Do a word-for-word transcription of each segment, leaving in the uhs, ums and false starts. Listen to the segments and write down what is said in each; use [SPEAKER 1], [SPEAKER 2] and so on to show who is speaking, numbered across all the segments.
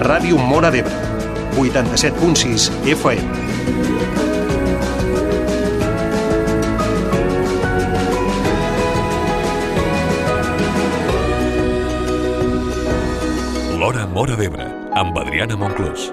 [SPEAKER 1] Ràdio Móra d'Ebre, vuitanta-set punt sis F M.
[SPEAKER 2] L'Hora Móra d'Ebre, amb Adriana Monclús.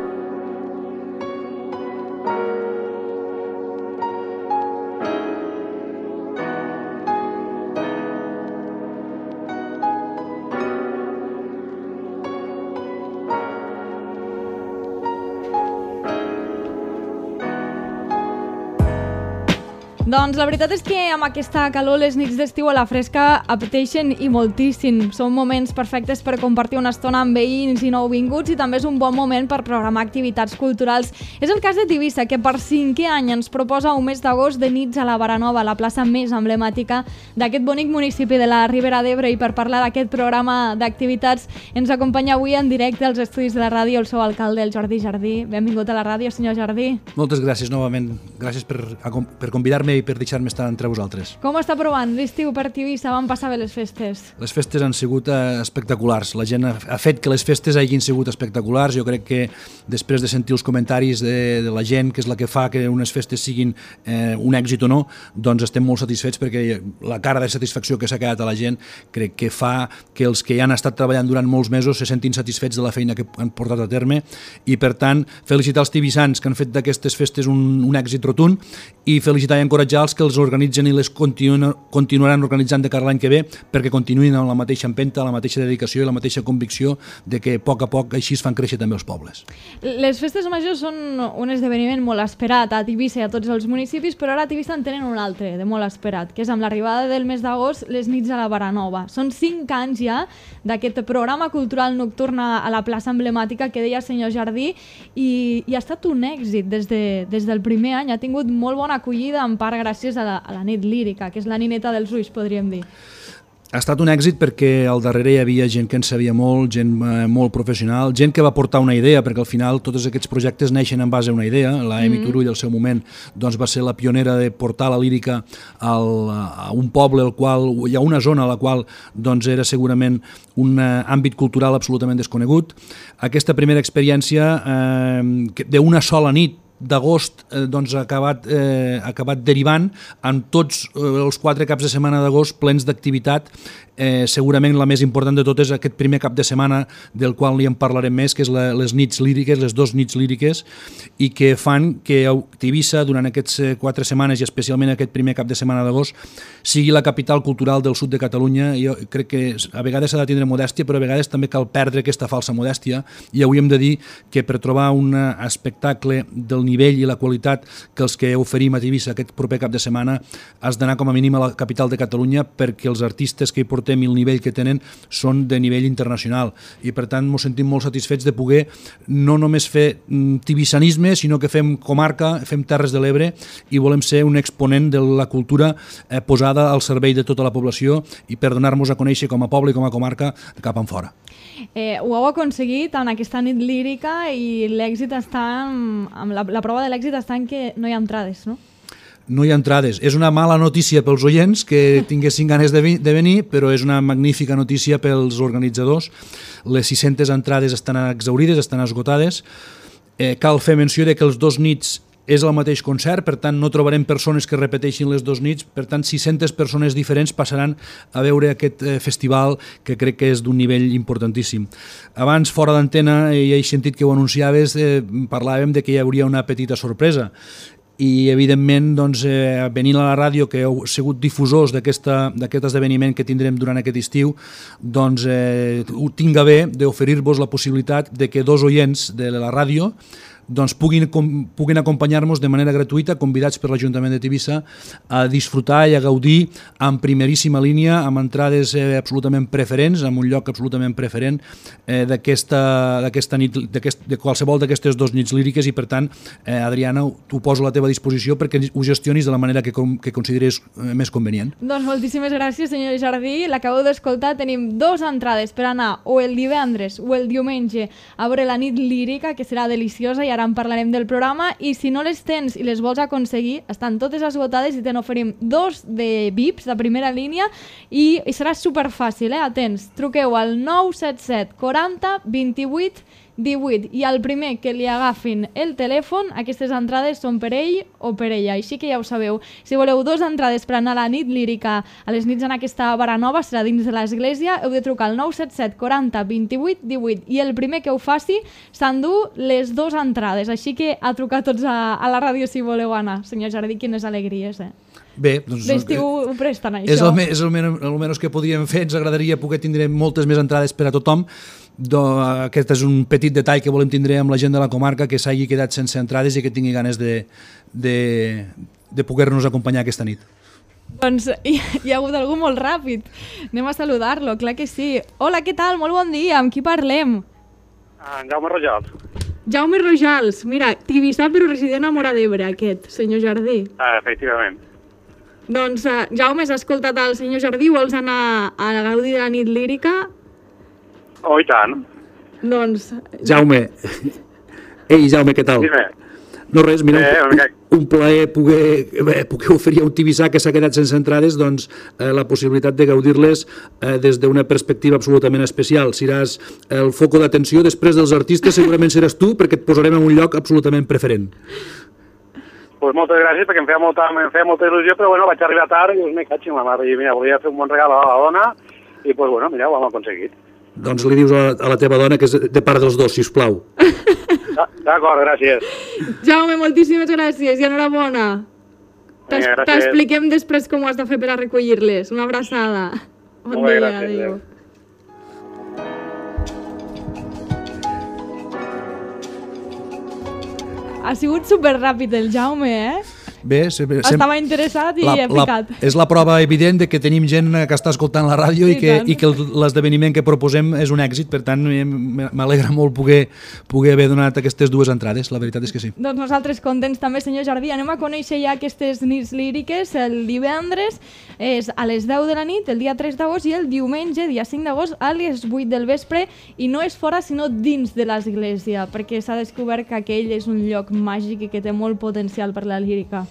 [SPEAKER 3] Doncs la veritat és que amb aquesta calor les nits d'estiu a la fresca apeteixen i moltíssim. Són moments perfectes per compartir una estona amb veïns i nouvinguts i també és un bon moment per programar activitats culturals. És el cas de Tivissa, que per cinquè any ens proposa un mes d'agost de nits a la Baranova, la plaça més emblemàtica d'aquest bonic municipi de la Ribera d'Ebre, i per parlar d'aquest programa d'activitats ens acompanya avui en directe als estudis de la ràdio el seu alcalde, el Jordi Jardí. Benvingut a la ràdio, senyor Jardí.
[SPEAKER 4] Moltes gràcies novament. Gràcies per, per convidar-me i per deixar-me estar entre vosaltres.
[SPEAKER 3] Com està provant l'estiu per Tivissa? Van passar bé les festes?
[SPEAKER 4] Les festes han sigut eh, espectaculars. La gent ha, ha fet que les festes hagin sigut espectaculars. Jo crec que després de sentir els comentaris de, de la gent, que és la que fa que unes festes siguin eh, un èxit o no, doncs estem molt satisfets, perquè la cara de satisfacció que s'ha quedat a la gent crec que fa que els que han estat treballant durant molts mesos se sentin satisfets de la feina que han portat a terme, i per tant felicitar els tibissans que han fet d'aquestes festes un, un èxit rotund, i felicitar i encoratjar els que els organitzen i les continuen, continuaran organitzant de cara l'any que ve, perquè continuïn amb la mateixa empenta, la mateixa dedicació i la mateixa convicció de que a poc a poc així es fan créixer també els pobles.
[SPEAKER 3] Les festes majors són un esdeveniment molt esperat a Tivissa i a tots els municipis, però ara a Tivissa en tenen un altre de molt esperat, que és amb l'arribada del mes d'agost les nits a la Baranova. Són cinc anys ja d'aquest programa cultural nocturn a la plaça emblemàtica que deia el senyor Jardí, i, i ha estat un èxit des, de, des del primer any. Ha tingut molt bona acollida, en part gràcies a la, a la nit lírica, que és la nineta dels ulls, podríem dir.
[SPEAKER 4] Ha estat un èxit perquè al darrere hi havia gent que en sabia molt, gent eh, molt professional, gent que va portar una idea, perquè al final tots aquests projectes neixen en base a una idea. La Emi mm. Turull, al seu moment, doncs, va ser la pionera de portar la lírica al, a un poble al qual, i a una zona a la qual doncs, era segurament un eh, àmbit cultural absolutament desconegut. Aquesta primera experiència eh, d'una sola nit d'agost eh, doncs, ha acabat, eh, ha acabat derivant en tots eh, els quatre caps de setmana d'agost plens d'activitat. Eh, segurament la més important de tot és aquest primer cap de setmana, del qual li en parlarem més, que és la, les nits líriques, les dos nits líriques, i que fan que Tivissa durant aquestes quatre setmanes, i especialment aquest primer cap de setmana d'agost, sigui la capital cultural del sud de Catalunya. Jo crec que a vegades s'ha de tindre modèstia, però a vegades també cal perdre aquesta falsa modèstia, i avui hem de dir que per trobar un espectacle del nivell i la qualitat que els que oferim a Tivissa aquest proper cap de setmana has d'anar com a mínim a la capital de Catalunya, perquè els artistes que hi portem i el nivell que tenen són de nivell internacional, i per tant ens sentim molt satisfets de poder no només fer tivissanisme, sinó que fem comarca, fem Terres de l'Ebre, i volem ser un exponent de la cultura eh, posada al servei de tota la població, i per donar-nos a conèixer com a poble i com a comarca cap en fora.
[SPEAKER 3] Eh, ho heu aconseguit en aquesta nit lírica, i l'èxit està en, en la, la prova de l'èxit està en que no hi ha entrades, no?
[SPEAKER 4] No hi ha entrades. És una mala notícia pels oients que tinguessin ganes de, vi- de venir, però és una magnífica notícia pels organitzadors. Les sis-centes entrades estan exaurides, estan esgotades. Eh, cal fer menció de que els dos nits és el mateix concert, per tant no trobarem persones que repeteixin les dos nits, per tant sis-centes persones diferents passaran a veure aquest eh, festival, que crec que és d'un nivell importantíssim. Abans, fora d'antena, i he sentit que ho anunciaves, eh, parlàvem de que hi hauria una petita sorpresa, i evidentment doncs, eh, venint a la ràdio, que heu sigut difusors d'aquest esdeveniment que tindrem durant aquest estiu, doncs eh, tinc a bé d'oferir-vos la possibilitat de que dos oients de la ràdio doncs puguin, com, puguin acompanyar-nos de manera gratuïta, convidats per l'Ajuntament de Tivissa, a disfrutar i a gaudir en primeríssima línia, amb entrades eh, absolutament preferents, en un lloc absolutament preferent eh, d'aquesta d'aquesta nit, de qualsevol d'aquestes dues nits líriques, i per tant, eh, Adriana, t'ho poso a la teva disposició perquè ho gestionis de la manera que, que consideres eh, més convenient.
[SPEAKER 3] Doncs moltíssimes gràcies, senyor Jardí. L'acabeu d'escoltar, tenim dues entrades per anar o el divendres o el diumenge a veure la nit lírica, que serà deliciosa, i ara en parlarem del programa, i si no les tens i les vols aconseguir, estan totes esgotades, i te n'oferim dos de V I Ps de primera línia, i, i serà superfàcil, eh? Atents, truqueu al nou set set quaranta vint-i-vuit divuit. I el primer que li agafin el telèfon, aquestes entrades són per ell o per ella. Així que ja ho sabeu. Si voleu dues entrades per anar a la nit lírica a les nits en aquesta vara nova, serà dins de l'església, heu de trucar al nou set set quaranta vint-i-vuit divuit. I el primer que ho faci s'endú les dues entrades. Així que a trucar tots a, a la ràdio si voleu anar. Senyor Jardí, quines alegries, eh?
[SPEAKER 4] Bé, doncs...
[SPEAKER 3] L'estiu ho presten, això.
[SPEAKER 4] És el, és el, men el menys que podíem fer. Ens agradaria poder tindre moltes més entrades per a tothom. Do, aquest és un petit detall que volem tindre amb la gent de la comarca, que s'hagi quedat sense entrades i que tingui ganes de, de, de poder-nos acompanyar aquesta nit.
[SPEAKER 3] Doncs hi, hi ha hagut algú molt ràpid. Anem a saludar-lo, clar que sí. Hola, què tal? Molt bon dia. Amb qui parlem?
[SPEAKER 5] En Jaume Rojals.
[SPEAKER 3] Jaume Rojals. Mira, tibissat però resident a Móra d'Ebre, aquest, senyor Jardí.
[SPEAKER 5] Ah, efectivament.
[SPEAKER 3] Doncs, uh, Jaume, has escoltat el senyor Jardí? Vols anar a la gaudi de la nit lírica?
[SPEAKER 5] Oh, i tant.
[SPEAKER 3] Doncs...
[SPEAKER 4] Jaume. Ei, Jaume, què tal?
[SPEAKER 5] Dime.
[SPEAKER 4] No res, mira,
[SPEAKER 5] Eh,
[SPEAKER 4] un, un plaer poder, eh, poder oferir a un tibissà que s'ha quedat sense entrades, doncs, eh, la possibilitat de gaudir-les eh, des d'una perspectiva absolutament especial. Seràs el foco d'atenció, després dels artistes segurament seràs tu, perquè et posarem en un lloc absolutament preferent.
[SPEAKER 5] Pues moltes gràcies, perquè em feia molta, em feia molta il·lusió, però bueno, vaig arribar tard i us m'he catxi la mare. I mira, volia fer un bon regal a la dona i pues bueno, mira, ho hem aconseguit.
[SPEAKER 4] Doncs li dius a, a la teva dona que és de part dels dos, sisplau.
[SPEAKER 5] D'acord, gràcies.
[SPEAKER 3] Jaume, moltíssimes gràcies i enhorabona. T'expliquem després com ho has de fer per a recollir-les. Una abraçada. Bon
[SPEAKER 5] Molt bé,
[SPEAKER 3] dia,
[SPEAKER 5] gràcies,
[SPEAKER 3] adéu. Ha sigut superràpid el Jaume, eh?
[SPEAKER 4] Bé, sempre,
[SPEAKER 3] Estava interessat i
[SPEAKER 4] la,
[SPEAKER 3] he picat.
[SPEAKER 4] La, és la prova evident de que tenim gent que està escoltant la ràdio i,
[SPEAKER 3] I
[SPEAKER 4] que,
[SPEAKER 3] tant.
[SPEAKER 4] i que l'esdeveniment que proposem és un èxit, per tant m'alegra molt poder, poder haver donat aquestes dues entrades, la veritat és que sí.
[SPEAKER 3] Doncs nosaltres contents també, senyor Jardí. Anem a conèixer ja aquestes nits líriques. El divendres és a les deu de la nit, el dia tres d'agost, i el diumenge, dia cinc d'agost, a les vuit del vespre, i no és fora sinó dins de l'església, perquè s'ha descobert que aquell és un lloc màgic i que té molt potencial per la lírica.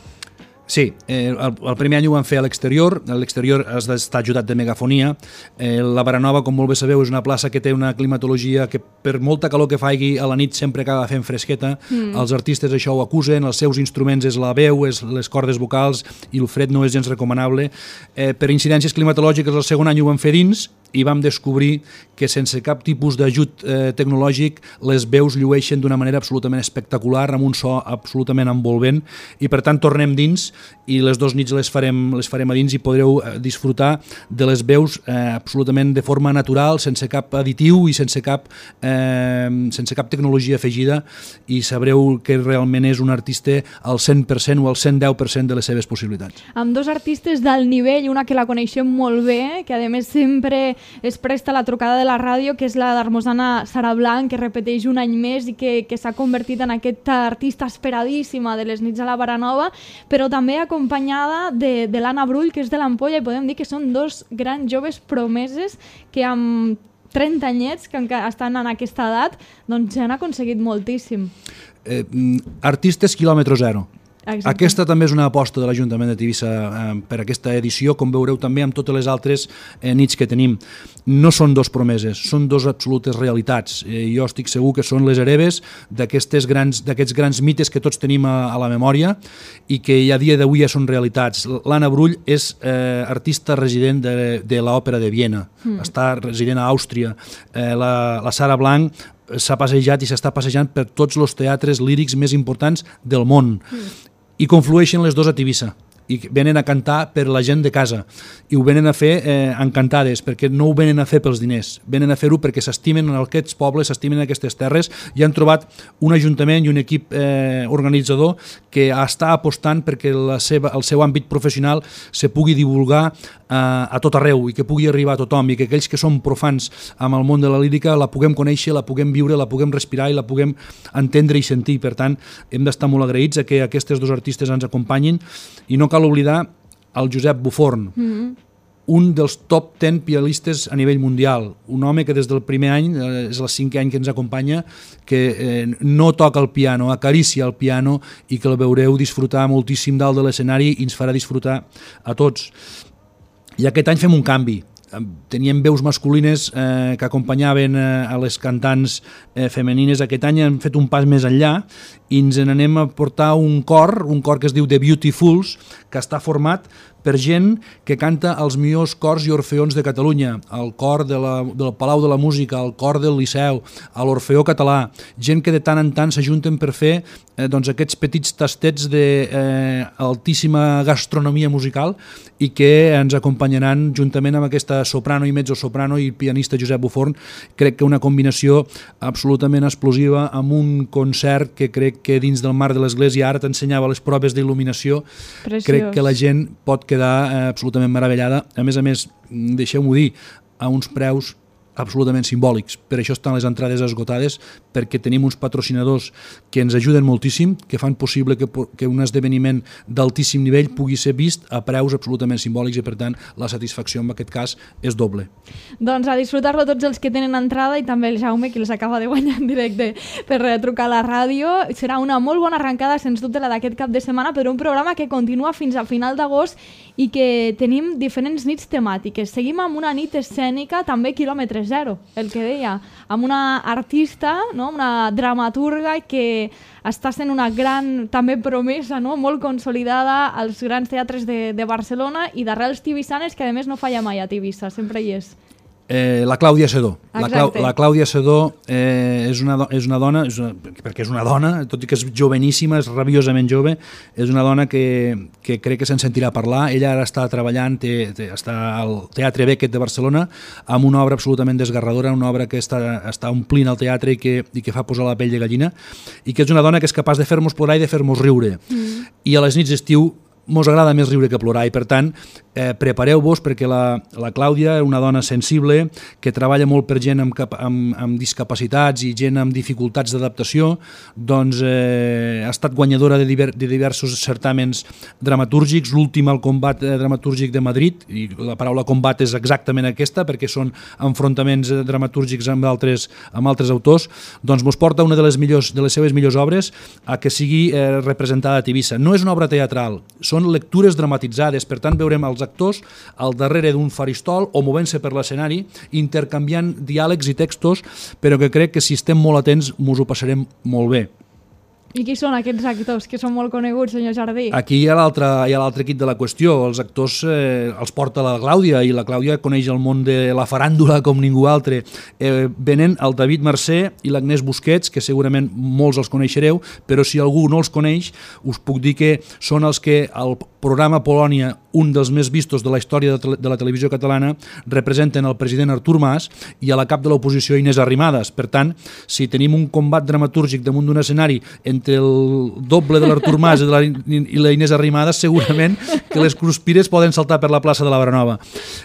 [SPEAKER 4] Sí, eh, el, el primer any ho vam fer a l'exterior, a l'exterior has d'estar ajudat de megafonia. Eh, la Baranova, com molt bé sabeu, és una plaça que té una climatologia que per molta calor que faigui a la nit sempre acaba fent fresqueta. Mm. Els artistes això ho acusen, els seus instruments és la veu, és les cordes vocals i el fred no és gens recomanable. Eh, per incidències climatològiques el segon any ho vam fer dins i vam descobrir que sense cap tipus d'ajut eh, tecnològic les veus llueixen d'una manera absolutament espectacular, amb un so absolutament envolvent, i per tant tornem dins i les dues nits les farem, les farem a dins i podreu eh, disfrutar de les veus eh, absolutament de forma natural, sense cap additiu i sense cap, eh, sense cap tecnologia afegida, i sabreu que realment és un artista al cent per cent o al cent deu per cent de les seves possibilitats.
[SPEAKER 3] Amb dos artistes d'alt nivell, una que la coneixem molt bé, que a més sempre es presta la trucada de la ràdio, que és la d'Hermosana Sara Blanc, que repeteix un any més i que, que s'ha convertit en aquesta artista esperadíssima de les nits a la Baranova, però també acompanyada de, de l'Anna Brull, que és de l'Ampolla, i podem dir que són dos grans joves promeses que amb trenta anyets, que estan en aquesta edat, doncs han aconseguit moltíssim.
[SPEAKER 4] Eh, artistes quilòmetre zero.
[SPEAKER 3] Exacte.
[SPEAKER 4] Aquesta també és una aposta de l'Ajuntament de Tivissa eh, per aquesta edició, com veureu també amb totes les altres eh, nits que tenim. No són dos promeses, són dos absolutes realitats. Eh, jo estic segur que són les hereves d'aquests grans, d'aquests grans mites que tots tenim a, a la memòria i que a dia d'avui ja són realitats. L'Anna Brull és eh, artista resident de, de l'Òpera de Viena, mm. està resident a Àustria. Eh, la, la Sara Blanc s'ha passejat i s'està passejant per tots els teatres lírics més importants del món. Mm. I conflueixen les dues a Tivissa i venen a cantar per la gent de casa i ho venen a fer eh, encantades, perquè no ho venen a fer pels diners, venen a fer-ho perquè s'estimen en aquests pobles, s'estimen en aquestes terres, i han trobat un ajuntament i un equip eh, organitzador que està apostant perquè la seva, el seu àmbit professional se pugui divulgar eh, a tot arreu i que pugui arribar a tothom, i que aquells que som profans amb el món de la lírica la puguem conèixer, la puguem viure, la puguem respirar i la puguem entendre i sentir. Per tant, hem d'estar molt agraïts a que aquestes dos artistes ens acompanyin, i no cal oblidar el Josep Buforn, mm-hmm. un dels top deu pianistes a nivell mundial, un home que des del primer any, eh, és el cinquè any que ens acompanya, que eh, no toca el piano, acaricia el piano, i que el veureu disfrutar moltíssim dalt de l'escenari i ens farà disfrutar a tots. I aquest any fem un canvi. teníem veus masculines eh, que acompanyaven eh, a les cantants eh, femenines. Aquest any hem fet un pas més enllà i ens n'anem a portar un cor, un cor que es diu The Beautifuls, que està format per gent que canta els millors cors i orfeons de Catalunya, el cor de la, del Palau de la Música, el cor del Liceu, a l'Orfeó Català, gent que de tant en tant s'ajunten per fer eh, doncs aquests petits tastets d'altíssima eh, gastronomia musical i que ens acompanyaran juntament amb aquesta soprano i mezzosoprano i pianista Josep Buforn. Crec que una combinació absolutament explosiva amb un concert que crec que dins del marc de l'església, ara t'ensenyava les proves d'il·luminació, crec que la gent pot quedar eh, absolutament meravellada. A més a més, deixeu-m'ho dir, a uns preus absolutament simbòlics. Per això estan les entrades esgotades, perquè tenim uns patrocinadors que ens ajuden moltíssim, que fan possible que, que un esdeveniment d'altíssim nivell pugui ser vist a preus absolutament simbòlics i, per tant, la satisfacció en aquest cas és doble.
[SPEAKER 3] Doncs a disfrutar-lo tots els que tenen entrada i també el Jaume, que els acaba de guanyar en directe per trucar a la ràdio. Serà una molt bona arrencada, sens dubte, la d'aquest cap de setmana, per un programa que continua fins a final d'agost i que tenim diferents nits temàtiques. Seguim amb una nit escènica, també quilòmetre zero, el que deia, amb una artista, no? Una dramaturga que està sent una gran també promesa, no? Molt consolidada als grans teatres de, de Barcelona i d'arrels tivissanes, que a més no falla mai a Tivissa, sempre hi és.
[SPEAKER 4] Eh, la Clàudia Sedó. La, Clau, la Clàudia Sedó eh, és, una, és una dona, és una, perquè és una dona, tot i que és joveníssima, és rabiosament jove, és una dona que, que crec que se'n sentirà parlar. Ella ara està treballant, té, té, està al Teatre Beckett de Barcelona, amb una obra absolutament desgarradora, una obra que està, està omplint el teatre i que, i que fa posar la pell de gallina, i que és una dona que és capaç de fer-nos plorar i de fer-nos riure. Mm. I a les nits d'estiu mos agrada més riure que plorar i, per tant, eh, prepareu-vos perquè la, la Clàudia és una dona sensible que treballa molt per gent amb, cap, amb, amb discapacitats i gent amb dificultats d'adaptació. Doncs eh, ha estat guanyadora de, diver, de diversos certàmens dramatúrgics, l'últim al Combat eh, Dramatúrgic de Madrid, i la paraula combat és exactament aquesta perquè són enfrontaments dramatúrgics amb altres, amb altres autors. Doncs mos porta una de les, millors, de les seves millors obres a que sigui eh, representada a Tivissa. No és una obra teatral, són lectures dramatitzades, per tant veurem els actors al darrere d'un faristol o movent-se per l'escenari, intercanviant diàlegs i textos, però que crec que si estem molt atents mos ho passarem molt bé.
[SPEAKER 3] I qui són aquests actors que són molt coneguts, senyor Jardí?
[SPEAKER 4] Aquí hi ha l'altre equip de la qüestió. Els actors eh, els porta la Clàudia i la Clàudia coneix el món de la faràndula com ningú altre. Eh, venen el David Mercè i l'Agnès Busquets, que segurament molts els coneixereu, però si algú no els coneix, us puc dir que són els que al programa Polònia, un dels més vistos de la història de la televisió catalana, representen el president Artur Mas i a la cap de l'oposició Inés Arrimadas. Per tant, si tenim un combat dramatúrgic damunt d'un escenari entre el doble de l'Artur Mas i, de la, i la Inés Arrimadas, segurament que les cruspires poden saltar per la plaça de la Baranova.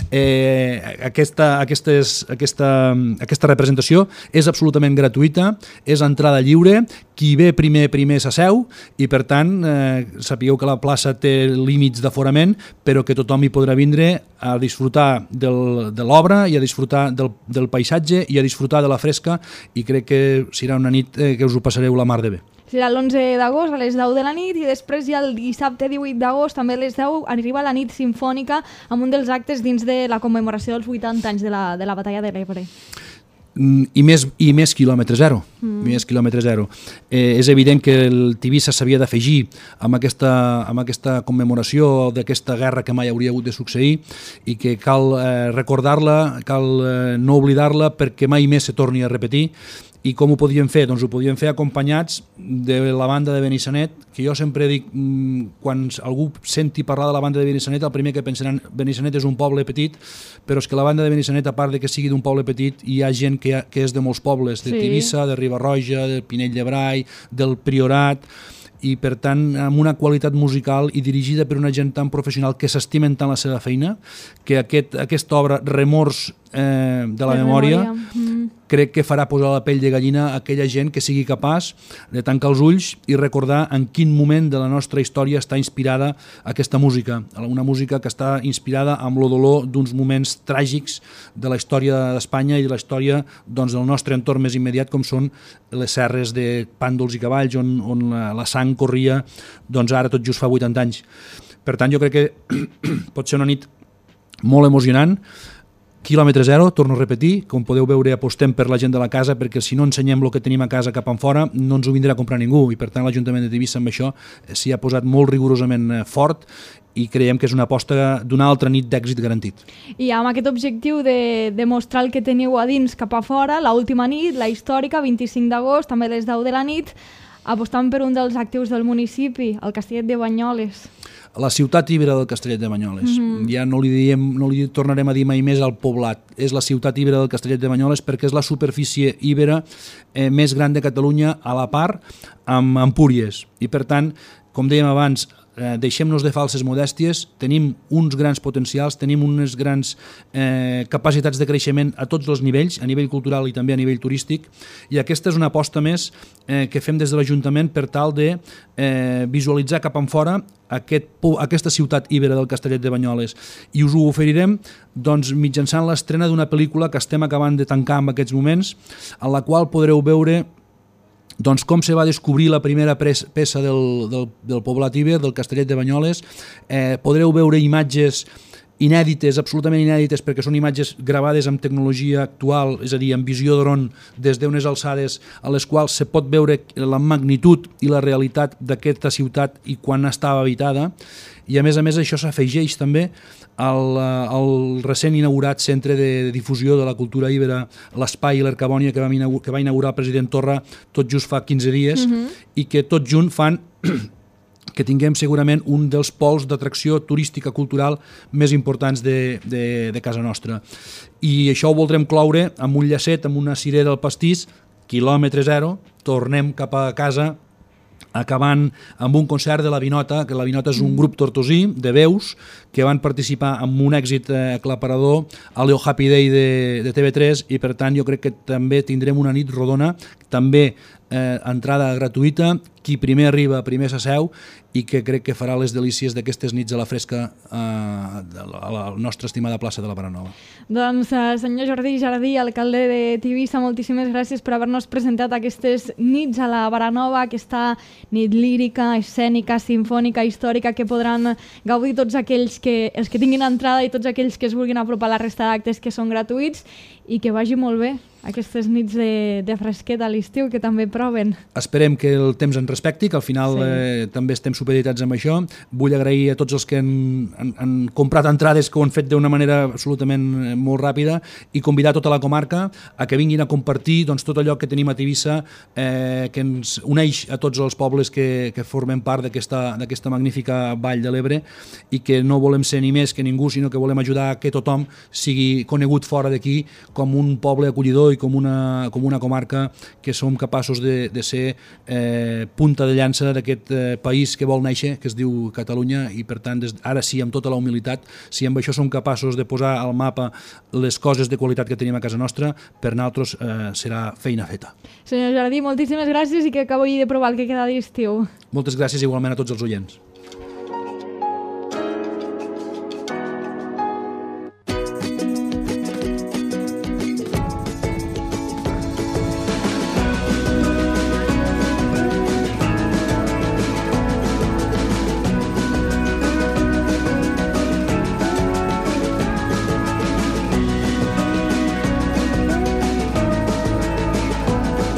[SPEAKER 4] Eh, aquesta, aquestes, aquesta, aquesta representació és absolutament gratuïta, és entrada lliure, qui ve primer, primer s'asseu i, per tant, eh, sapigueu que la plaça té límits d'aforament, però que tothom hi podrà vindre a disfrutar del, de l'obra i a disfrutar del, del paisatge i a disfrutar de la fresca, i crec que serà una nit eh, que us ho passareu la mar de bé.
[SPEAKER 3] Serà l'onze d'agost a les deu de la nit i després ja el dissabte divuit d'agost també a les deu arriba la nit simfònica amb un dels actes dins de la commemoració dels vuitanta anys de la, de la batalla de l'Ebre.
[SPEAKER 4] I més, i més quilòmetre zero, mm. més quilòmetre zero. Eh, és evident que el Tivissa s'havia d'afegir amb aquesta, amb aquesta commemoració d'aquesta guerra que mai hauria hagut de succeir i que cal eh, recordar-la, cal eh, no oblidar-la perquè mai més se torni a repetir. I com ho podíem fer? Doncs ho podíem fer acompanyats de la banda de Benissanet, que jo sempre dic, quan algú senti parlar de la banda de Benissanet, el primer que pensaran, Benissanet és un poble petit, però és que la banda de Benissanet, a part de que sigui d'un poble petit, hi ha gent que, ha, que és de molts pobles, de sí. Tivissa, de Riba-roja, de Pinell de Brai, del Priorat, i per tant amb una qualitat musical i dirigida per una gent tan professional que s'estimen tant la seva feina, que aquest, aquesta obra Remors eh, de la de memòria, memòria. Mm. crec que farà posar la pell de gallina a aquella gent que sigui capaç de tancar els ulls i recordar en quin moment de la nostra història està inspirada aquesta música, una música que està inspirada amb el dolor d'uns moments tràgics de la història d'Espanya i de la història doncs, del nostre entorn més immediat, com són les serres de Pàndols i Cavalls, on, on la, la sang corria doncs ara tot just fa vuitanta anys. Per tant, jo crec que pot ser una nit molt emocionant, quilòmetre zero, torno a repetir, com podeu veure apostem per la gent de la casa, perquè si no ensenyem el que tenim a casa cap en fora no ens ho vindrà a comprar ningú, i per tant l'Ajuntament de Tivissa amb això s'hi ha posat molt rigorosament fort i creiem que és una aposta d'una altra nit d'èxit garantit.
[SPEAKER 3] I amb aquest objectiu de demostrar el que teniu a dins cap a fora, l'última nit, la històrica, vint-i-cinc d'agost, també a les deu de la nit, apostant per un dels actius del municipi, el Castellet de Banyoles.
[SPEAKER 4] La ciutat íbera del Castellet de Banyoles. Mm-hmm. Ja no li, diem, no li tornarem a dir mai més al poblat. És la ciutat íbera del Castellet de Banyoles perquè és la superfície íbera eh, més gran de Catalunya a la part amb Empúries. I per tant, com dèiem abans, eh, deixem-nos de falses modèsties, tenim uns grans potencials, tenim unes grans eh, capacitats de creixement a tots els nivells, a nivell cultural i també a nivell turístic, i aquesta és una aposta més eh, que fem des de l'Ajuntament per tal de eh, visualitzar cap en fora aquest, aquesta ciutat íbera del Castellet de Banyoles, i us ho oferirem doncs, mitjançant l'estrena d'una pel·lícula que estem acabant de tancar en aquests moments, en la qual podreu veure doncs, com se va descobrir la primera peça del, del, del poblat íber, del Castellet de Banyoles. Eh, podreu veure imatges inèdites, absolutament inèdites, perquè són imatges gravades amb tecnologia actual, és a dir, amb visió dron des d'unes alçades a les quals se pot veure la magnitud i la realitat d'aquesta ciutat i quan estava habitada, i a més a més això s'afegeix també al, al recent inaugurat Centre de Difusió de la Cultura Íbera, l'Espai i l'Ercabònia, que, que va inaugurar el president Torra tot just fa quinze dies, mm-hmm. i que tot junt fan que tinguem segurament un dels pols d'atracció turística cultural més importants de, de, de casa nostra. I això ho voldrem cloure amb un llacet, amb una cirera al pastís, quilòmetre zero, tornem cap a casa acabant amb un concert de la Vinota, que la Vinota és un grup tortosí de veus que van participar amb un èxit aclaparador a l'O Happy Day de, de T V tres, i per tant jo crec que també tindrem una nit rodona, també eh, entrada gratuïta, qui primer arriba primer s'asseu, i que crec que farà les delícies d'aquestes nits a la fresca eh, a la nostra estimada plaça de la Baranova.
[SPEAKER 3] Doncs eh, senyor Jordi Jardí, alcalde de Tivissa, moltíssimes gràcies per haver-nos presentat aquestes nits a la Baranova, aquesta nit lírica, escènica, sinfònica, històrica, que podran gaudir tots aquells que, els que tinguin entrada i tots aquells que es vulguin apropar a la resta d'actes que són gratuïts, i que vagi molt bé aquestes nits de, de fresquet a l'estiu que també proven. Esperem que el temps ens respecti, que al final sí. eh, també estem supeditats amb això. Vull agrair a tots els que han, han, han comprat entrades, que ho han fet d'una manera absolutament molt ràpida, i convidar tota la comarca a que vinguin a compartir doncs, tot allò que tenim a Tivissa, eh, que ens uneix a tots els pobles que, que formem part d'aquesta magnífica Vall de l'Ebre, i que no volem ser ni més que ningú, sinó que volem ajudar a que tothom sigui conegut fora d'aquí com un poble acollidor i com una, com una comarca que som capaços de, de ser eh, punta de llança d'aquest eh, país que vol néixer, que es diu Catalunya, i per tant, des, ara sí, amb tota la humilitat, si amb això som capaços de posar al mapa les coses de qualitat que tenim a casa nostra, per nosaltres eh, serà feina feta. Senyor Jardí, moltíssimes gràcies i que acabi de provar el que queda d'estiu. Moltes gràcies igualment a tots els oients.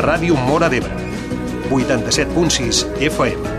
[SPEAKER 1] Ràdio Móra d'Ebre, vuitanta-set punt sis F M.